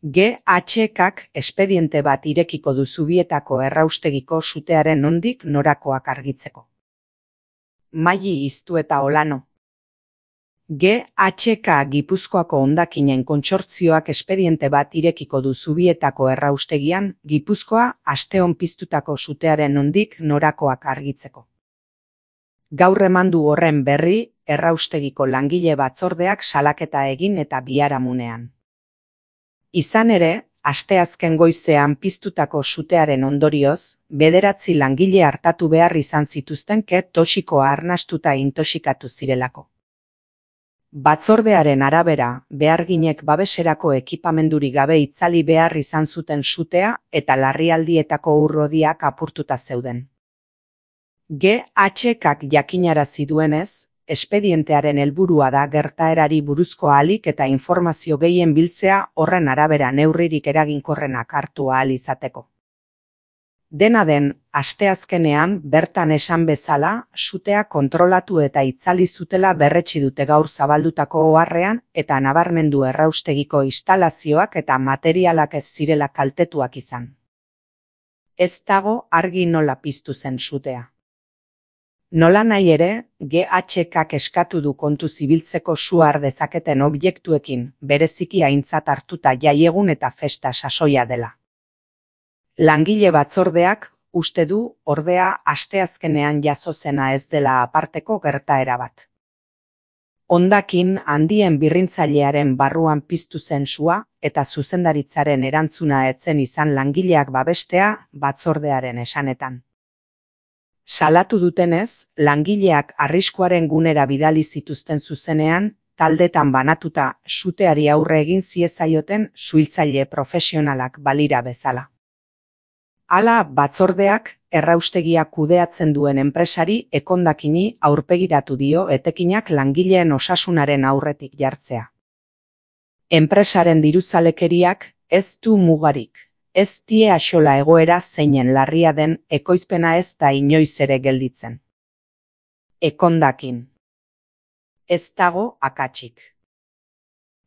GHKak espediente bat irekiko du Zubietako erraustegiko sutearen nondik norakoak argitzeko. Maili Iztu eta Olano. GHK Gipuzkoako hondakinen kontsortzioak espediente bat irekiko du Zubietako erraustegian Gipuzkoa asteon piztutako sutearen nondik norakoak argitzeko. Gaur eman du horren berri erraustegiko langile batzordeak salaketa egin eta biharamunean. Izan ere, asteazken goizean piztutako sutearen ondorioz, 9 langile artatu behar izan zituzten toxikoa arnastuta intoxikatu zirelako. Batzordearen arabera, beharginek babeserako ekipamenduri gabe itzali behar izan zuten sutea eta larrialdietako urrodiak apurtuta zeuden. GHKak jakinarazi duenez, espedientearen helburua da gertaerari buruzko ahalik eta informazio gehien biltzea horren arabera neurririk eraginkorrenak hartu ahal izateko. Dena den, asteazkenean bertan esan bezala, sutea kontrolatu eta itzali zutela berretsi dute gaur zabaldutako oharrean eta nabarmendu erraustegiko instalazioak eta materialak ez zirela kaltetuak izan. Ez dago argi nola piztu zen sutea. Nola nahi ere, GHKak eskatu du kontu zibiltzeko su har dezaketen objektuekin, bereziki aintzat hartuta jaiegun eta festa sasoia dela. Langile batzordeak uste du, ordea, asteazkenean jazo zena ez dela aparteko gertaera bat. Hondakin handien birrintzailearen barruan piztu zen sua eta zuzendaritzaren erantzuna etzen izan langileak babestea batzordearen esanetan. Salatu dutenez, langileak arriskuaren gunera bidali zituzten zuzenean, taldetan banatuta suteari aurre egin ziezaioten suhiltzaile profesionalak balira bezala. Hala, batzordeak erraustegia kudeatzen duen enpresari Ekondakini aurpegiratu dio etekinak langileen osasunaren aurretik jartzea. Enpresaren diruzalekeriak ez du mugarik. Ez die axola egoera zeinen larria den ekoizpena ez da inoiz ere gelditzen. Ekondakin. Ez dago akatsik.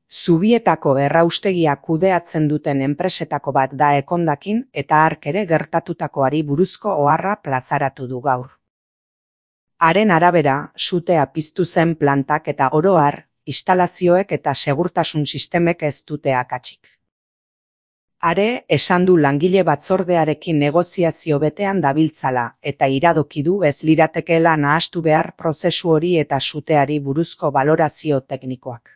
Zubietako erraustegia kudeatzen duten enpresetako bat da Ekondakin eta hark ere gertatutakoari buruzko oharra plazaratu du gaur. Haren arabera, sutea piztu zen plantak eta oro har, instalazioek eta segurtasun sistemek ez dute akatsik. Are, esan du langile batzordearekin negoziazio betean dabiltzala eta iradoki du ez liratekeela nahastu behar prozesu hori eta suteari buruzko balorazio teknikoak.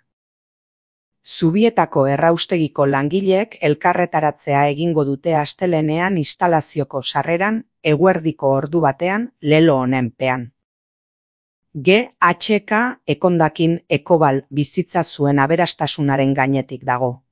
Zubietako erraustegiko langileek elkarretaratzea egingo dute astelehenean instalazioko sarreran, eguerdiko ordu batean, lelo honenpean. GHK Ekondakin Ekobal bizitza zuen aberastasunaren gainetik dago.